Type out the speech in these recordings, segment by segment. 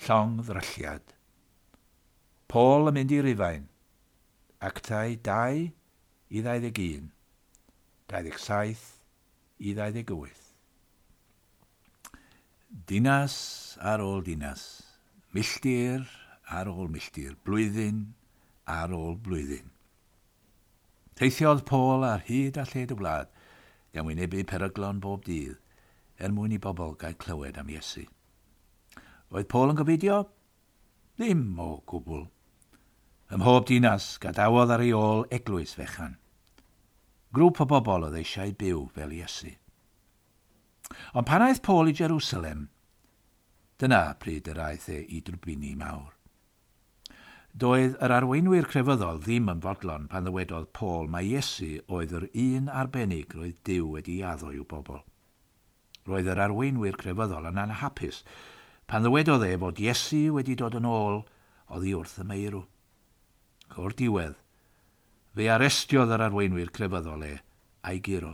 Llongddrylliad. Paul yn mynd i Rufain. Actau 2 i 21, 27 i 28. Dinas ar ôl dinas, milltir ar ôl milltir, blwyddyn ar ôl blwyddyn. Teithiodd Paul ar hyd a lled y wlad, gan wynebu peryglon bob dydd, er mwyn i bobl gael clywed am Iesu. Oedd Paul yn gofidio? Ddim o gwbl. Ym mhob dinas, gadawodd ar ei ôl eglwys fechan. Grŵp o bobl oedd eisiau byw fel Iesu. Ond pan aeth Paul i Jerusalem, dyna pryd yr aeth e i drwbini mawr. Doedd yr arweinwyr crefyddol ddim yn fodlon pan ddywedodd Paul mai Iesu oedd yr un arbennig roedd Duw wedi addo i'w bobl. Roedd yr arweinwyr crefyddol yn anhapus pan ddywedodd e fod Iesu wedi dod yn ôl oddi wrth y meirw. O'r diwedd, fe arestiodd yr arweinwyr crefyddol e a'i guro.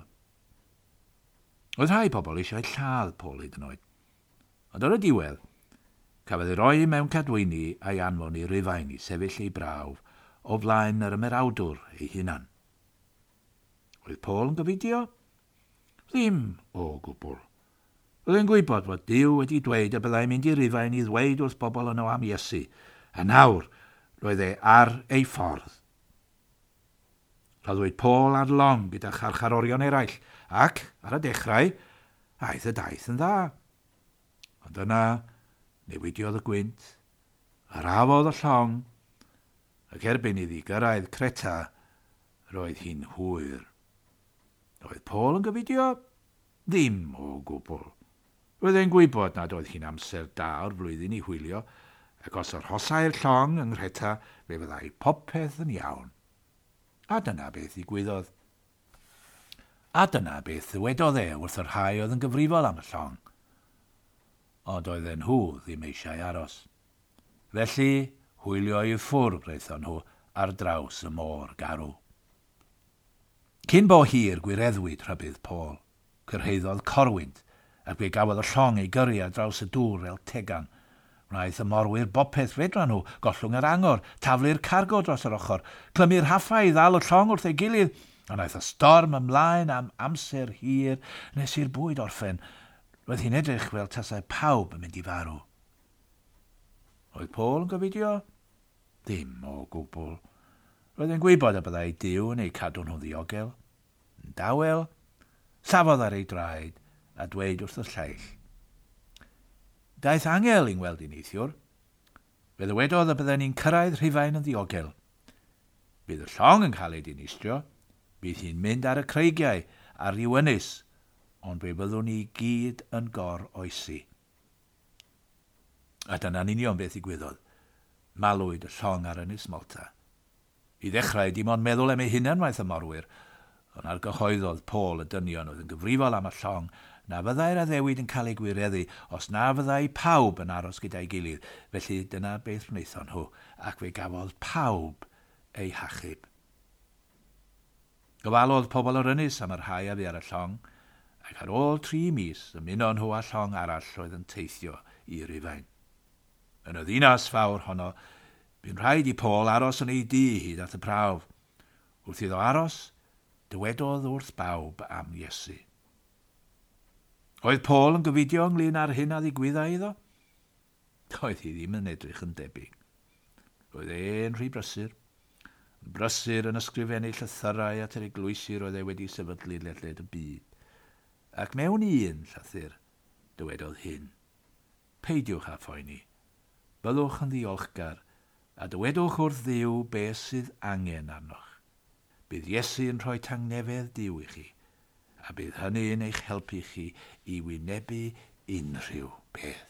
Oedd rhai pobl eisiau lladd Paul hyd yn oed. Ond ar y diwedd, cafodd ei roi mewn cadwyni a'i anfon i Rufain i sefyll ei brawf o flaen yr ymerawdwr ei hunan. Oedd Paul yn gofidio? Ddim o gwbl. Roedd e'n gwybod fod Duw wedi dweud y byddai'n mynd i Rufain i ddweud wrth bobl yno am Iesu, a nawr roedd e ar ei ffordd. Rhoddwyd Paul ar long gyda charcharorion eraill, ac, ar y dechrau, aeth y daith yn dda. Ond yna, newidiodd y gwynt, arafodd y llong, ac erbyn iddi gyrraedd Creta, roedd hi'n hwyr. Oedd Paul yn gofidio? Ddim o gwbl. Roedd e'n gwybod nad oedd hi'n amser da o'r flwyddyn i hwylio, ac os arhosai'r llong yng Nghreta, fe fyddai popeth yn iawn. A dyna beth ddigwyddodd. A dyna beth ddywedodd e wrth y rhai oedd yn gyfrifol am y llong. Ond oedden nhw ddim eisiau aros. Felly, hwylio i ffwrdd wnaethon nhw ar draws y môr garw. Cyn bo hir gwireddwyd rhybudd Paul. Cyrhaeddodd corwynt, ac fe gafodd y llong ei gyrru ar draws y dŵr fel tegan. Wnaeth y morwyr bopeth fedran nhw, gollwng yr angor, taflu'r cargo dros yr ochr, clymu'r rhaffau i ddal y llong wrth ei gilydd, a wnaeth y storm ymlaen am amser hir nes i'r bwyd orffen. Roedd hi'n edrych fel tasai pawb yn mynd i farw. Oedd Paul yn gofidio? Ddim o gwbl. Roedd e'n gwybod y byddai Duw yn eu cadw nhw'n ddiogel. Yn dawel, safodd ar ei draed a dweud wrth y lleill. Daeth angel i'n weld i neithiwr. Fe ddywedodd y bydden ni'n cyrraedd Rhufain yn ddiogel. Bydd y llong yn cael ei dinistrio, bydd hi'n mynd ar y creigiau ar ryw ynys, ond fe fyddwn ni gyd yn gor-oesi. A dyna'n union beth ddigwyddodd. Malwyd y llong ar ynys Malta. I ddechrau, dim ond meddwl am ei hunan wnaeth y morwyr, ond argyhoeddodd Paul y dynion oedd yn gyfrifol am y llong na fyddai'r addewid yn cael ei gwireddu os na fyddai pawb yn aros gyda'i gilydd. Felly dyna beth wnaethon nhw, ac fe gafodd pawb eu hachub. Gofalodd pobl yr ynys am y rhai a fu ar y llong, ac ar ôl 3 mis ymunon nhw â llong arall oedd yn teithio i Rufain. Yn y ddinas fawr honno, bu'n rhaid i Paul aros yn ei dŷ hyd at y prawf. Wrth iddo aros, dywedodd wrth bawb am Iesu. Oedd Paul yn gofidio ynglyn â'r hyn a ddigwyddai iddo? Doedd hi ddim yn edrych yn debyg. Roedd e'n rhy brysur. Yn brysur yn ysgrifennu llythyrau at yr eglwysi roedd e wedi sefydlu ledled y byd. Ac mewn un llythyr, dywedodd hyn. Peidiwch â phoeni. Byddwch yn ddiolchgar a dywedwch wrth Dduw beth sydd angen arnoch. Bydd Iesu yn rhoi tangnefedd Duw i chi, a bydd hynny'n eich helpu chi i wynebu unrhyw beth.